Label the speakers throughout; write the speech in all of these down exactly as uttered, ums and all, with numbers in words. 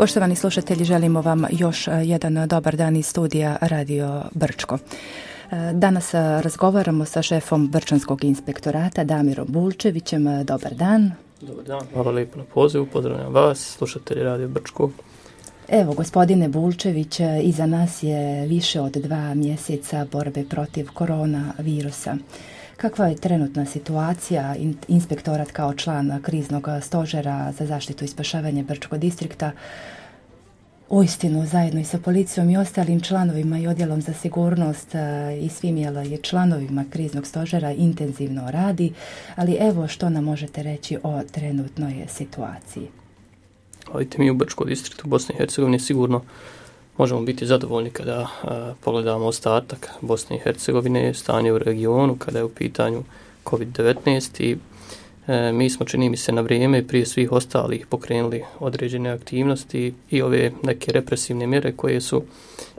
Speaker 1: Poštovani slušatelji, želimo vam još jedan dobar dan iz studija Radio Brčko. Danas razgovaramo sa šefom Brčanskog inspektorata Damirom Bulčevićem. Dobar dan.
Speaker 2: Dobar dan, hvala lijepo na pozivu, pozdravljam vas, slušatelji Radio Brčko.
Speaker 1: Evo, gospodine Bulčević, iza nas je više od dva mjeseca borbe protiv koronavirusa. Kakva je trenutna situacija? Inspektorat kao član kriznog stožera za zaštitu i spašavanje Brčkog distrikta uistinu zajedno i sa policijom i ostalim članovima i odjelom za sigurnost i svim je članovima kriznog stožera intenzivno radi, ali evo što nam možete reći o trenutnoj situaciji.
Speaker 2: Vidite, mi u Brčkom distriktu Bosne i Hercegovine sigurno možemo biti zadovoljni kada a, pogledamo ostatak Bosne i Hercegovine, stanje u regionu, kada je u pitanju kovid devetnaest i e, mi smo, čini mi se, na vrijeme prije svih ostalih pokrenuli određene aktivnosti i ove neke represivne mjere koje su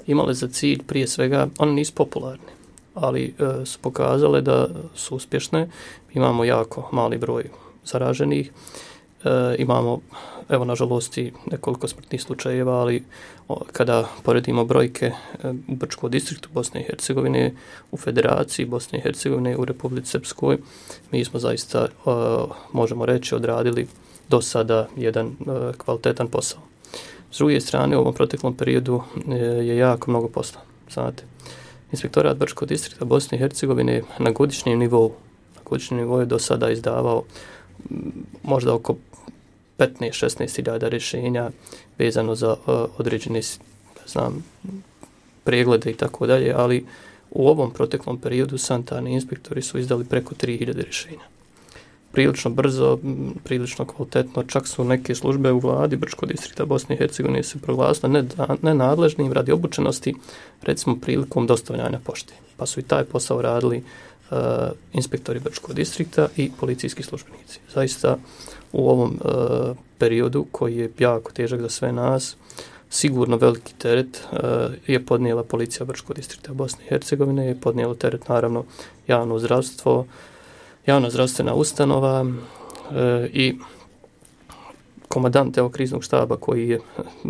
Speaker 2: imale za cilj prije svega, one nisu popularne, ali e, su pokazale da su uspješne. Imamo jako mali broj zaraženih, e, imamo evo nažalost i nekoliko smrtnih slučajeva, ali o, kada poredimo brojke e, u Brčkom distriktu Bosne i Hercegovine, u Federaciji Bosne i Hercegovine, u Republici Srpskoj, mi smo zaista, o, možemo reći, odradili do sada jedan e, kvalitetan posao. S druge strane, u ovom proteklom periodu e, je jako mnogo posla. Znate, Inspektorat Brčkog distrikta Bosne i Hercegovine na godišnjem nivou, na godišnjem nivou je do sada izdavao m, možda oko petnaest do šesnaest hiljada rješenja vezano za uh, određene, znam, preglede i tako dalje, ali u ovom proteklom periodu sanitarni inspektori su izdali preko tri hiljade rješenja. Prilično brzo, prilično kvalitetno, čak su neke službe u vladi Brčkog distrikta Bosne i Hercegovine se proglasile nenadležnim radi obučenosti, recimo prilikom dostavljanja pošte. Pa su i taj posao radili uh, inspektori Brčkog distrikta i policijski službenici. Zaista u ovom uh, periodu koji je jako težak za sve nas, sigurno veliki teret uh, je podnijela policija Brčkog distrikta Bosne i Hercegovine, je podnijelo teret naravno javno zdravstvo, javna zdravstvena ustanova uh, i komandant evo kriznog štaba koji je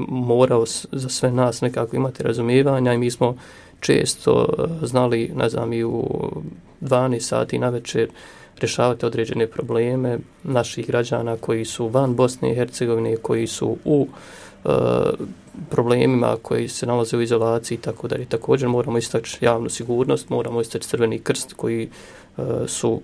Speaker 2: morao za sve nas nekako imati razumijevanja i mi smo često uh, znali, ne znam, i u dvanaest sati na večer rješavati određene probleme naših građana koji su van Bosne i Hercegovine, koji su u e, problemima, koji se nalaze u izolaciji i tako dalje. Također moramo istaći javnu sigurnost, moramo istaći Crveni krst koji e, su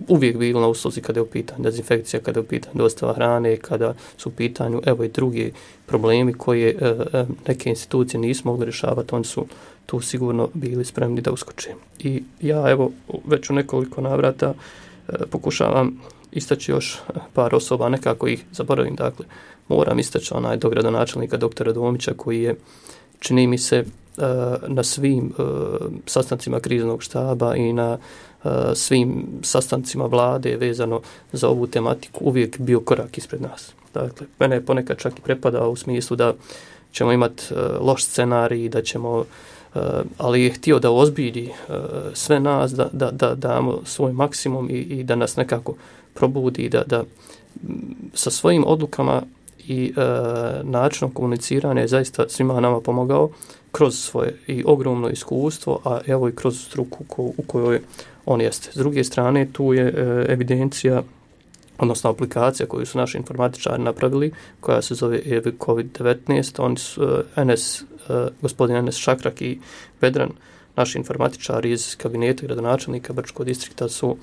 Speaker 2: uvijek bili na usluzi kada je u pitanju dezinfekcija, kada je u pitanju dostava hrane, kada su u pitanju evo i drugi problemi koje e, e, neke institucije nisu mogli rješavati, oni su tu sigurno bili spremni da uskoče. I ja evo već u nekoliko navrata e, pokušavam istaći još par osoba, nekako ih zaboravim, dakle moram istaći onaj dogradonačelnika doktora Domića koji je, čini mi se, e, na svim e, sastancima kriznog štaba i na e, svim sastancima vlade vezano za ovu tematiku uvijek bio korak ispred nas. Dakle, mene je ponekad čak i prepadao u smislu da ćemo imati e, loš scenarij, da ćemo Uh, ali je htio da ozbilji uh, sve nas, da, da, da damo svoj maksimum i, i da nas nekako probudi, da, da m, sa svojim odlukama i uh, načinom komuniciranja je zaista svima nama pomogao kroz svoje i ogromno iskustvo, a evo i kroz struku ko, u kojoj on jeste. S druge strane, tu je uh, evidencija, odnosno aplikacija koju su naši informatičari napravili, koja se zove kovid devetnaest. Oni su uh, N S, uh, gospodin Enes Šakrak i Vedran, naši informatičari iz kabineta gradonačelnika Brčkog distrikta su uh,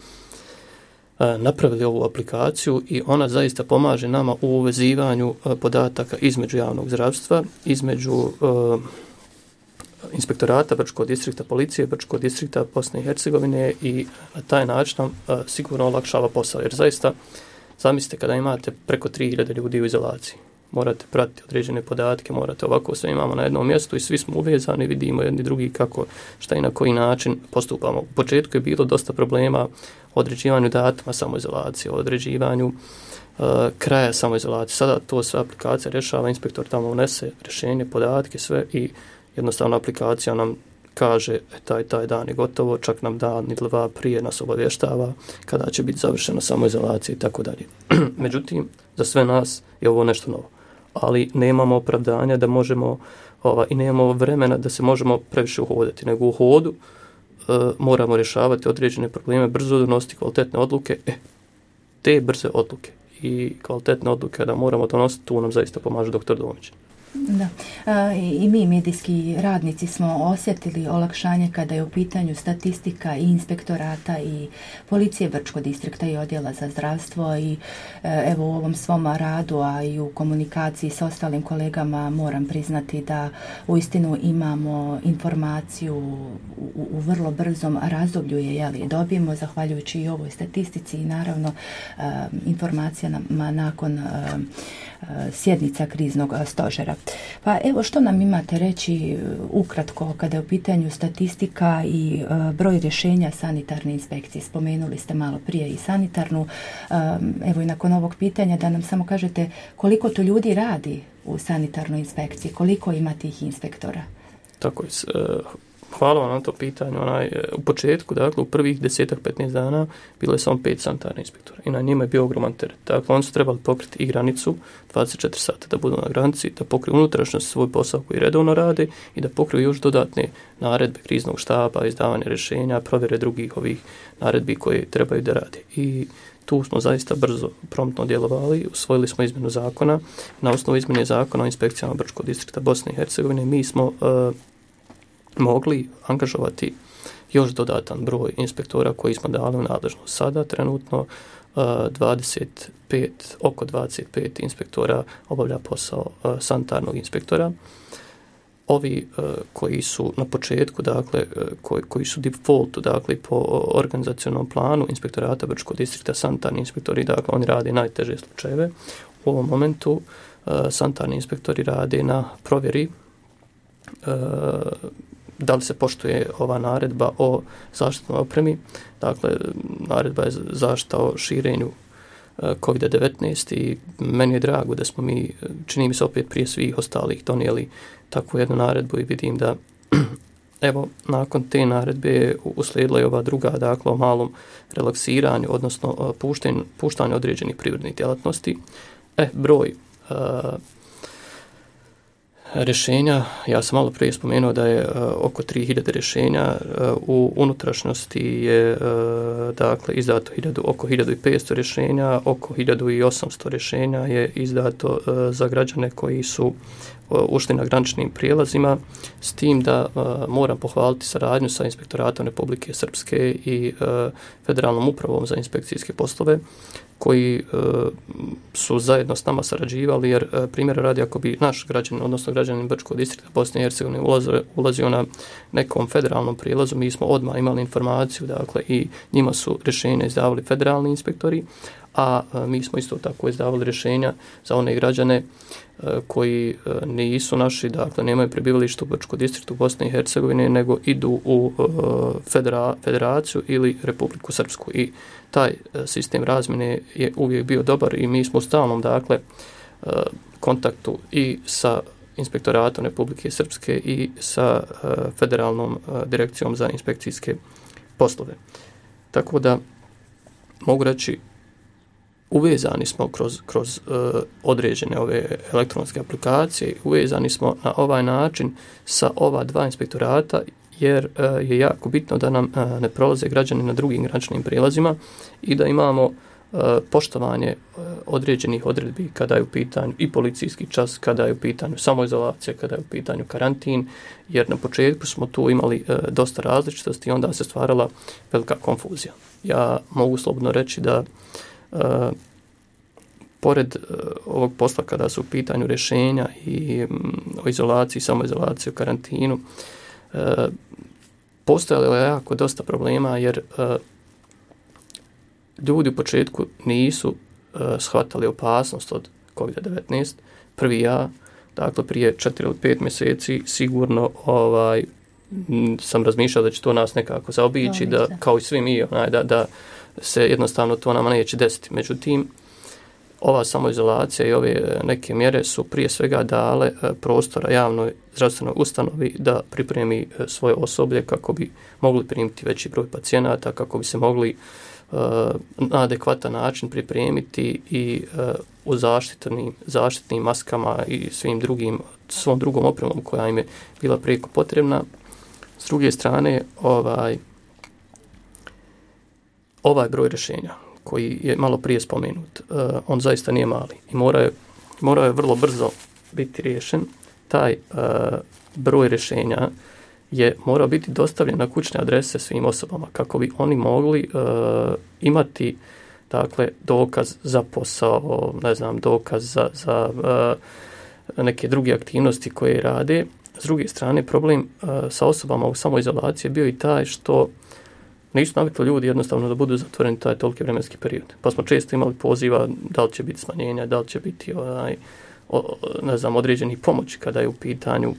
Speaker 2: napravili ovu aplikaciju i ona zaista pomaže nama u uvezivanju uh, podataka između javnog zdravstva, između uh, inspektorata Brčkog distrikta, policije Brčkog distrikta Bosne i Hercegovine i na taj način nam uh, sigurno olakšava posao. Jer zaista, zamislite kada imate preko tri hiljade ljudi u izolaciji, morate pratiti određene podatke, morate ovako sve imamo na jednom mjestu i svi smo uvezani, vidimo jedni drugi kako, šta i na koji način postupamo. U početku je bilo dosta problema o određivanju datuma samoizolacije, o određivanju uh, kraja samoizolacije. Sada to sve aplikacija rješava, inspektor tamo unese rješenje, podatke, sve i jednostavno aplikacija nam kaže e, taj, taj dan je gotovo, čak nam dan ili dva prije nas obavještava kada će biti završena samoizolacija i tako dalje. Međutim, za sve nas je ovo nešto novo. ali nemamo opravdanja da možemo ova, i nemamo vremena da se možemo previše uhodati, nego u hodu e, moramo rješavati određene probleme, brzo donositi kvalitetne odluke. E, te brze odluke i kvalitetne odluke da moramo donositi, tu nam zaista pomaže doktor Domić.
Speaker 1: Da. E, I mi medijski radnici smo osjetili olakšanje kada je u pitanju statistika i inspektorata i policije Brčkog distrikta i odjela za zdravstvo i e, evo u ovom svom radu, a i u komunikaciji s ostalim kolegama moram priznati da uistinu imamo informaciju u, u vrlo brzom razdoblju je jeli, dobijemo zahvaljujući i ovoj statistici i naravno e, informacijama nakon e, sjednica kriznog stožera. Pa evo što nam imate reći ukratko kada je u pitanju statistika i e, broj rješenja sanitarne inspekcije. Spomenuli ste malo prije i sanitarnu. E, evo i nakon ovog pitanja da nam samo kažete koliko to ljudi radi u sanitarnoj inspekciji, koliko ima tih inspektora?
Speaker 2: Tako je. Hvala vam na to pitanje. Onaj, u početku, dakle, u prvih desetak, petnaest dana bilo je samo pet sanitarnih inspektora i na njima je bio ogroman teret. Dakle, oni su trebali pokriti i granicu dvadeset četiri sata da budu na granici, da pokriju unutrašnjost svoj posao koji redovno rade i da pokriju još dodatne naredbe kriznog štaba, izdavanje rješenja, provjere drugih ovih naredbi koje trebaju da rade. I tu smo zaista brzo, promptno djelovali, usvojili smo izmjenu zakona. Na osnovu izmjene zakona o inspekcijama Brčkog distrikta Bosne i Hercegovine mi smo uh, mogli angažovati još dodatan broj inspektora koji smo dali u nadležnost. Sada trenutno uh, dvadeset pet, oko dvadeset pet inspektora obavlja posao uh, sanitarnog inspektora. Ovi uh, koji su na početku, dakle, uh, koji, koji su defaultu, dakle, po organizacionalnom planu inspektorata Brčkog distrikta, sanitarni inspektori, dakle, oni rade najteže slučajeve. U ovom momentu uh, sanitarni inspektori rade na provjeri uh, da li se poštuje ova naredba o zaštitnoj opremi. Dakle, naredba je zaštita o širenju kovid devetnaest i meni je drago da smo mi, čini mi se opet prije svih ostalih, donijeli takvu jednu naredbu i vidim da evo, nakon te naredbe uslijedila je ova druga, dakle, o malom relaksiranju, odnosno puštanju, puštanju određenih privrednih djelatnosti. E, broj uh, rješenja, ja sam malo prije spomenuo da je uh, oko tri hiljade rješenja, uh, u unutrašnjosti je uh, dakle izdato hiljadu, oko hiljadu petsto rješenja, oko hiljadu osamsto rješenja je izdato uh, za građane koji su uh, ušli na graničnim prijelazima, s tim da uh, moram pohvaliti saradnju sa Inspektoratom Republike Srpske i uh, Federalnom upravom za inspekcijske poslove, koji e, su zajedno s nama sarađivali, jer e, primjera radi, ako bi naš građanin, odnosno građanin Brčkog distrikta Bosne i Hercegovine ulazio, ulazio na nekom federalnom prilazu, mi smo odmah imali informaciju, dakle, i njima su rješenja izdavali federalni inspektori, a e, mi smo isto tako izdavali rješenja za one građane e, koji e, nisu naši, dakle, nemaju prebivalište u Brčkom distriktu Bosne i Hercegovine, nego idu u e, federa, federaciju ili Republiku Srpsku. I taj sistem razmjene je uvijek bio dobar i mi smo u stalnom, dakle, kontaktu i sa Inspektoratom Republike Srpske i sa Federalnom direkcijom za inspekcijske poslove. Tako da mogu reći, uvezani smo kroz, kroz određene ove elektronske aplikacije, uvezani smo na ovaj način sa ova dva inspektorata, jer uh, je jako bitno da nam uh, ne prolaze građani na drugim graničnim prijelazima i da imamo uh, poštovanje uh, određenih odredbi kada je u pitanju i policijski čas, kada je u pitanju samoizolacija, kada je u pitanju karantin, jer na početku smo tu imali uh, dosta različitosti i onda se stvarala velika konfuzija. Ja mogu slobodno reći da uh, pored uh, ovog posla kada su u pitanju rješenja i um, o izolaciji, samoizolaciji, o karantinu, Uh, postojalo je jako dosta problema, jer uh, ljudi u početku nisu uh, shvatali opasnost od kovid devetnaest. Prvi ja, dakle prije četiri ili pet mjeseci, sigurno ovaj, m, sam razmišljao da će to nas nekako zaobići, da, kao i svi mi, onaj, da, da se jednostavno to nama neće desiti. Međutim, ova samoizolacija i ove neke mjere su prije svega dale prostora javnoj zdravstvenoj ustanovi da pripremi svoje osoblje kako bi mogli primiti veći broj pacijenata, kako bi se mogli na adekvatan način pripremiti i u zaštitnim, zaštitnim maskama i svim drugim, svom drugom opremom koja im je bila prijeko potrebna. S druge strane, ovaj, ovaj broj rješenja koji je malo prije spomenut, on zaista nije mali i mora je, mora je vrlo brzo biti riješen. Taj broj rješenja je morao biti dostavljen na kućne adrese svim osobama kako bi oni mogli uh, imati dakle dokaz za posao, ne znam, dokaz za, za uh, neke druge aktivnosti koje rade. S druge strane, problem uh, sa osobama u samoizolaciji je bio i taj što nisu navikli ljudi jednostavno da budu zatvoreni taj toliki vremenski period. Pa smo često imali poziva da li će biti smanjenja, da li će biti onaj, o, ne znam, određenih pomoći kada je u pitanju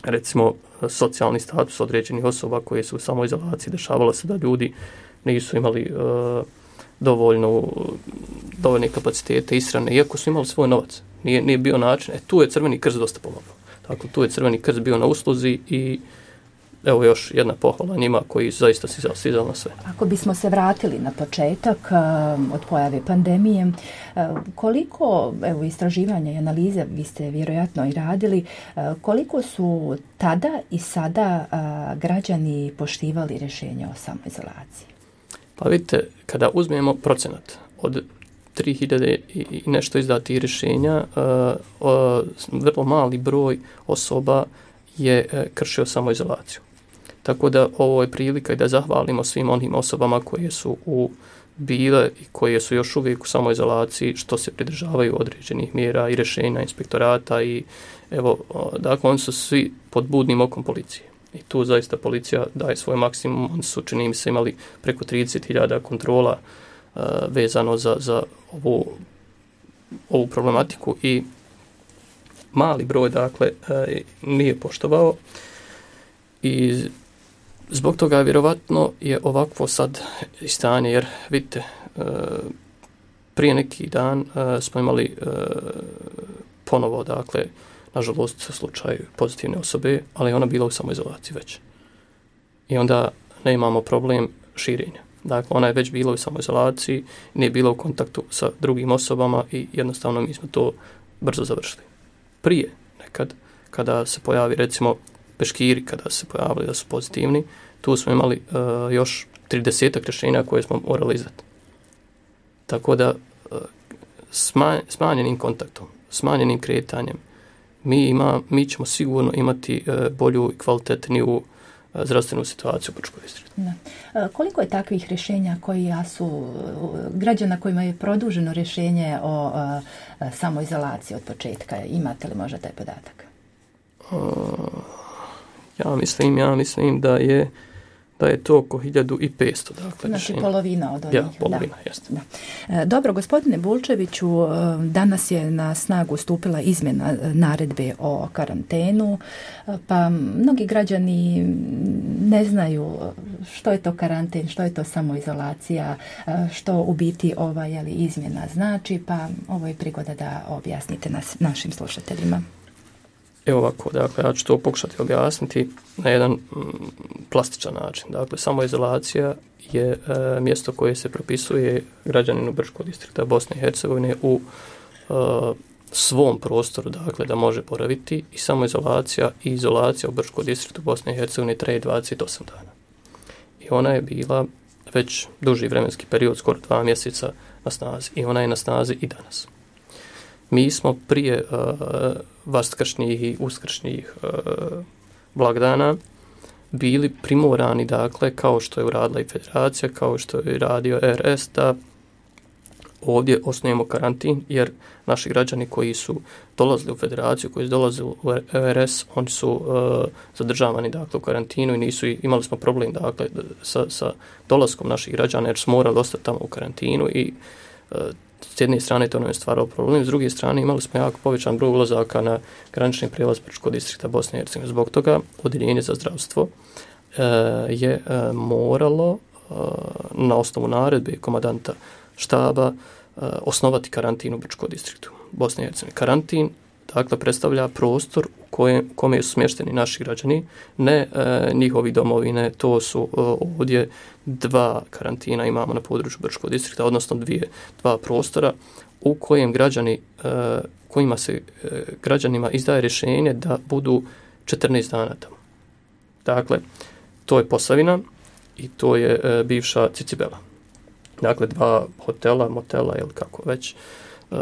Speaker 2: recimo socijalni status određenih osoba koje su u samoizolaciji. Dešavalo se da ljudi nisu imali uh, dovoljno, dovoljne kapacitete ishrane, iako su imali svoj novac. Nije, nije bio način. E, tu je Crveni krst dosta pomogao. Dakle, tu je Crveni krst bio na usluzi i evo još jedna pohvala njima koji zaista si stizali na sve.
Speaker 1: Ako bismo se vratili na početak uh, od pojave pandemije, uh, koliko, evo, istraživanja i analize, vi ste vjerojatno i radili, uh, koliko su tada i sada uh, građani poštivali rješenje o samoizolaciji?
Speaker 2: Pa vidite, kada uzmemo procenat od tri hiljade i nešto izdatih rješenja, uh, uh, vrlo mali broj osoba je uh, kršio samoizolaciju. Tako da ovo je prilika i da zahvalimo svim onim osobama koje su u bile i koje su još uvijek u samoizolaciji, što se pridržavaju određenih mjera i rješenja inspektorata i evo, dakle, oni su svi pod budnim okom policije. I tu zaista policija daje svoj maksimum. Oni su, čini mi se, imali preko trideset hiljada kontrola uh, vezano za, za ovu, ovu problematiku i mali broj, dakle, uh, nije poštovao i zbog toga vjerovatno je ovakvo sad stanje, jer vidite, prije neki dan smo imali ponovo, dakle, nažalost, slučaj pozitivne osobe, ali ona bila u samoizolaciji već. I onda ne imamo problem širenja. Dakle, ona je već bila u samoizolaciji, nije bila u kontaktu sa drugim osobama i jednostavno mi smo to brzo završili. Prije, nekad, kada se pojavi, recimo, peškiri, kada se pojavili da su pozitivni, tu smo imali uh, još tridesetak rješenja koje smo morali izdati. Tako da uh, sma, smanjenim kontaktom, smanjenim kretanjem, mi, ima, mi ćemo sigurno imati uh, bolju i kvalitetniju uh, zdravstvenu situaciju u Brčkom distriktu.
Speaker 1: Da. Uh, koliko je takvih rješenja koji su uh, građana kojima je produženo rješenje o uh, samoizolaciji od početka? Imate li možda taj podatak?
Speaker 2: Uh, Ja mislim, ja mislim da je da je to oko hiljadu petsto. Dakle,
Speaker 1: znači rješenja. Polovina od onih.
Speaker 2: Ja, polovina,
Speaker 1: da.
Speaker 2: jeste.
Speaker 1: Da. Dobro, gospodine Bulčeviću, danas je na snagu stupila izmjena naredbe o karantenu, pa mnogi građani ne znaju što je to karanten, što je to samoizolacija, što u biti ova je li izmjena znači, pa ovo je prigoda da objasnite nas, našim slušateljima.
Speaker 2: Evo ovako, dakle, ja ću to pokušati objasniti na jedan mm, plastičan način. Dakle, samoizolacija je e, mjesto koje se propisuje građaninu Brčkog distrikta Bosne i Hercegovine u e, svom prostoru, dakle, da može boraviti, i samoizolacija i izolacija u Brčkom distriktu Bosne i Hercegovine traje dvadeset osam dana. I ona je bila već duži vremenski period, skoro dva mjeseca na snazi, i ona je na snazi i danas. Mi smo prije uh, vaskršnjih i uskršnjih uh, blagdana bili primorani, dakle, kao što je uradila i federacija, kao što je radio R S, da ovdje osnujemo karantin, jer naši građani koji su dolazili u federaciju, koji su dolazili u R S, oni su uh, zadržavani, dakle, u karantinu i nisu, imali smo problem, dakle, sa, sa dolaskom naših građana, jer smo morali ostati tamo u karantinu i uh, s jedne strane to nam je stvaralo problem, s druge strane imali smo jako povećan broj ulazaka na granični prijelaz Brčkog distrikta Bosne i Hercegovine. Zbog toga Odjeljenje za zdravstvo e, je e, moralo e, na osnovu naredbe komandanta štaba e, osnovati karantin u Brčkom distriktu Bosne i Hercegovine. Karantin dakle predstavlja prostor u kojem, kome su smješteni naši građani, ne e, njihovi domovine. To su e, ovdje dva karantina imamo na području Brčkog distrikta, odnosno dvije, dva prostora u kojem građani, e, kojima se e, građanima izdaje rješenje da budu četrnaest dana tamo. Dakle, to je Posavina i to je e, bivša Cicibela. Dakle, dva hotela, motela ili kako već, e,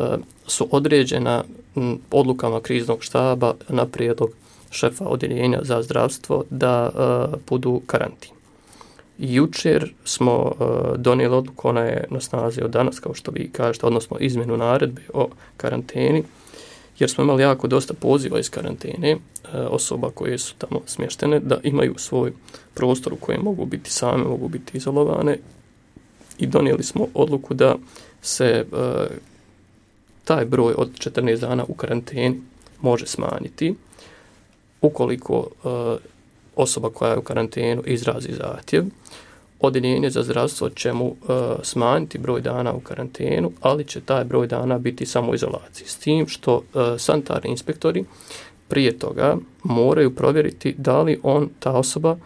Speaker 2: su određena m, odlukama kriznog štaba na prijedlog šefa odjeljenja za zdravstvo da e, budu karantin. Jučer smo e, donijeli odluku, ona je na snazi od danas, kao što vi kažete, odnosno izmjenu naredbe o karanteni, jer smo imali jako dosta poziva iz karantene, e, osoba koje su tamo smještene, da imaju svoj prostor u kojem mogu biti same, mogu biti izolovane, i donijeli smo odluku da se e, taj broj od četrnaest dana u karanteni može smanjiti ukoliko e, osoba koja je u karantenu izrazi zahtjev. Odjeljenje za zdravstvo će mu e, smanjiti broj dana u karantenu, ali će taj broj dana biti samo u izolaciji. S tim što e, sanitarni inspektori prije toga moraju provjeriti da li on, ta osoba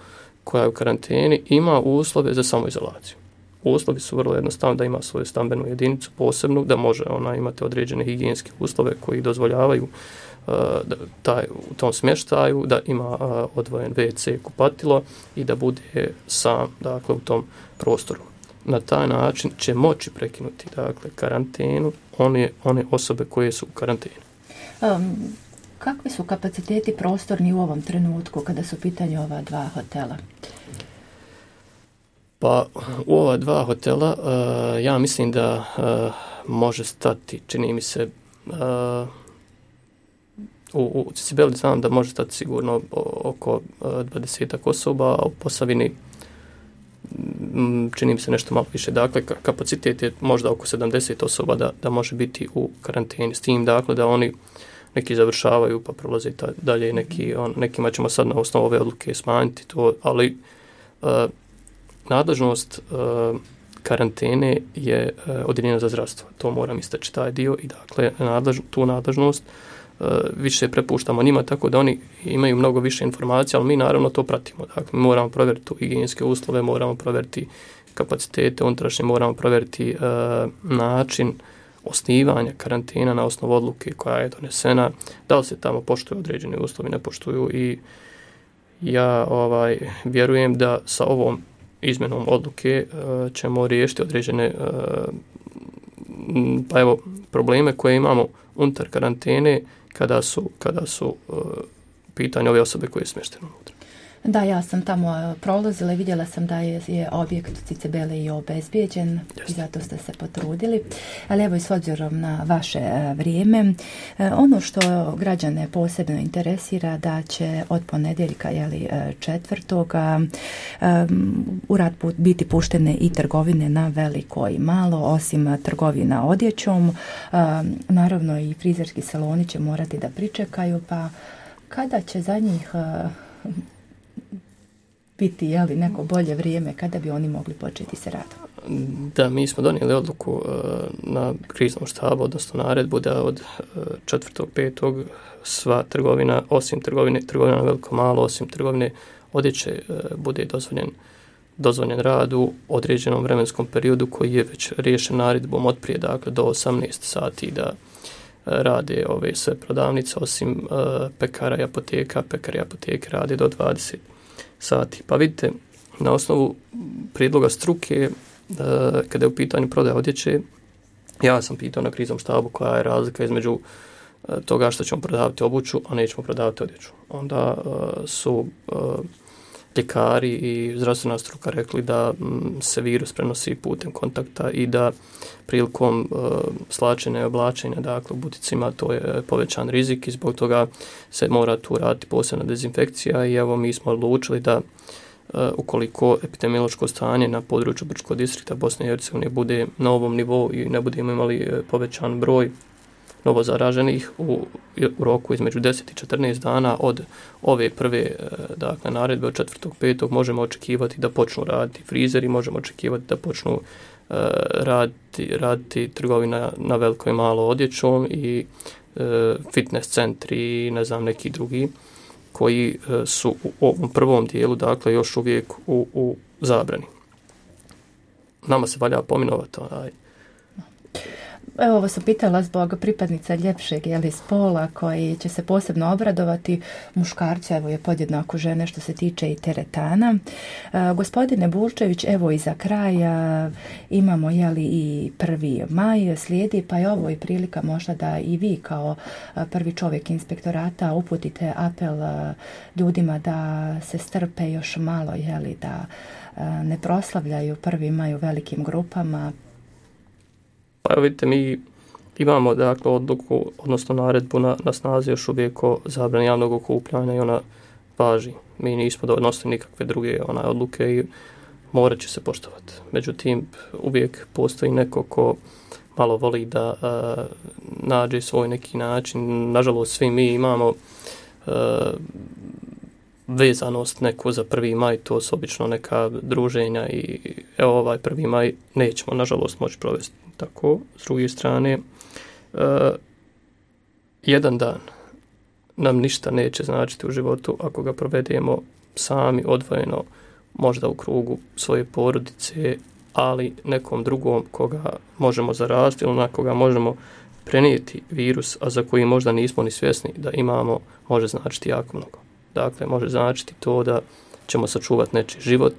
Speaker 2: koja je u karanteni, ima uslove za samoizolaciju. Uslovi su vrlo jednostavni, da ima svoju stambenu jedinicu posebnu, da može ona imati određene higijenske uslove koji dozvoljavaju uh, da, taj, u tom smještaju, da ima uh, odvojen ve ce, kupatilo i da bude sam, dakle, u tom prostoru. Na taj način će moći prekinuti, dakle, karantenu one, one osobe koje su u karanteni.
Speaker 1: Um, kakvi su kapaciteti prostorni u ovom trenutku kada su u pitanju ova dva hotela?
Speaker 2: Pa u ova dva hotela uh, ja mislim da uh, može stati, čini mi se, uh, u, u Cicibeli znam da može stati sigurno oko dvadesetak osoba, a u Posavini m, čini mi se nešto malo više. Dakle, kapacitet je možda oko sedamdeset osoba da, da može biti u karanteni. S tim, dakle, da oni neki završavaju pa prolaze ta, dalje, neki, on, nekima ćemo sad na osnovu ove odluke smanjiti to, ali uh, nadležnost uh, karantene je uh, odjeljenje za zdravstvo. To moram istaći taj dio i dakle nadlež, tu nadležnost uh, više prepuštamo njima, tako da oni imaju mnogo više informacija, ali mi naravno to pratimo. Dakle, mi moramo provjeriti tu higijenske uslove, moramo provjeriti kapacitete unutrašnje, moramo provjeriti uh, način osnivanja karantena na osnovu odluke koja je donesena, da li se tamo poštuju određeni uslovi, ne poštuju, i ja ovaj vjerujem da sa ovom izmjenom odluke uh, ćemo riješiti određene uh, pa evo probleme koje imamo unutar karantene kada su, kada su uh, pitanje ove osobe koje je smještene unutra.
Speaker 1: Da, ja sam tamo prolazila i vidjela sam da je, je objekt u Cicibeli i obezbijeđen. Just. I zato ste se potrudili. Ali evo i s obzirom na vaše vrijeme, ono što građane posebno interesira da će od ponedjeljka, jeli, četvrtoga um, u rad biti puštene i trgovine na veliko i malo, osim trgovina odjećom. Um, naravno i frizerski saloni će morati da pričekaju, pa kada će za njih uh, biti, jeli, neko bolje vrijeme, kada bi oni mogli početi se radom?
Speaker 2: Da, mi smo donijeli odluku uh, na kriznom štabu, odnosno naredbu da od uh, četvrtog petog sva trgovina, osim trgovine, trgovina na veliko malo, osim trgovine odjeće, uh, bude dozvoljen, dozvoljen rad u određenom vremenskom periodu koji je već riješen naredbom od prije, dakle, do osamnaest sati da rade ove sve prodavnice, osim uh, pekara i apoteka. Pekari i apoteke rade do dvadeset sati. Pa vidite, na osnovu prijedloga struke, uh, kada je u pitanju prodaja odjeće, ja sam pitao na kriznom štabu koja je razlika između uh, toga što ćemo prodavati obuću, a nećemo prodavati odjeću. Onda uh, su uh, ljekari i zdravstvena struka rekli da m, se virus prenosi putem kontakta i da prilikom uh, slačenja i oblačenja, dakle, u buticima, to je povećan rizik i zbog toga se mora tu raditi posebna dezinfekcija. I evo, mi smo odlučili da uh, ukoliko epidemiološko stanje na području Brčkog distrikta Bosne i Hercegovine bude na ovom nivou i ne budemo imali povećan broj novo zaraženih u, u roku između deset i četrnaest dana od ove prve, dakle, naredbe od četvrtog petog možemo očekivati da počnu raditi frizeri, možemo očekivati da počnu uh, raditi, raditi trgovina na veliko i malo odjećom i fitness centri, ne znam, neki drugi, koji su u ovom prvom dijelu, dakle, još uvijek u, u zabrani. Nama se valja pominovati onaj.
Speaker 1: Evo, ovo sam pitala zbog pripadnica ljepšeg jeli, spola koji će se posebno obradovati. Muškarci, evo je podjednako žene što se tiče i teretana. E, gospodine Bulčević, evo i za kraj a, imamo jeli, i prvi maj slijedi, pa je ovo i prilika možda da i vi kao a, prvi čovjek inspektorata uputite apel a, ljudima da se strpe još malo, jeli, da a, ne proslavljaju prvi maj u velikim grupama.
Speaker 2: Pa evo vidite, mi imamo dakle odluku, odnosno naredbu na, na snazi još uvijek o zabrani javnog okupljanja i ona važi. Mi nismo donosili nikakve druge onaj odluke i morat će se poštovati. Međutim, uvijek postoji neko ko malo voli da a, nađe svoj neki način. Nažalost, svi mi imamo a, vezanost neko za prvi maj, to su obično neka druženja i evo ovaj prvi maj nećemo nažalost moći provesti tako. S druge strane, uh, jedan dan nam ništa neće značiti u životu ako ga provedemo sami, odvojeno, možda u krugu svoje porodice, ali nekom drugom koga možemo zaraziti ili na koga možemo prenijeti virus, a za koji možda nismo ni svjesni da imamo, može značiti jako mnogo. Dakle, može značiti to da ćemo sačuvati nečiji život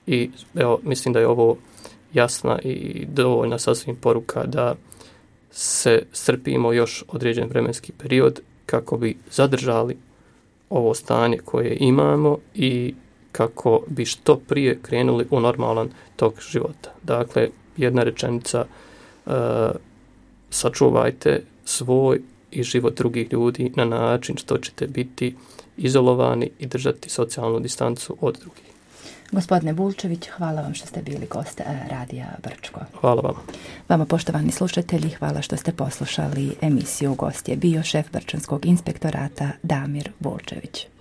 Speaker 2: i evo, mislim da je ovo jasna i dovoljna sasvim poruka da se strpimo još određen vremenski period kako bi zadržali ovo stanje koje imamo i kako bi što prije krenuli u normalan tok života. Dakle, jedna rečenica, uh, sačuvajte svoj i život drugih ljudi na način što ćete biti izolovani i držati socijalnu distancu od drugih.
Speaker 1: Gospodine Bulčević, hvala vam što ste bili gost Radija Brčko.
Speaker 2: Hvala vam.
Speaker 1: Vama, poštovani slušatelji, hvala što ste poslušali emisiju. Gost je bio šef Brčanskog inspektorata Damir Bulčević.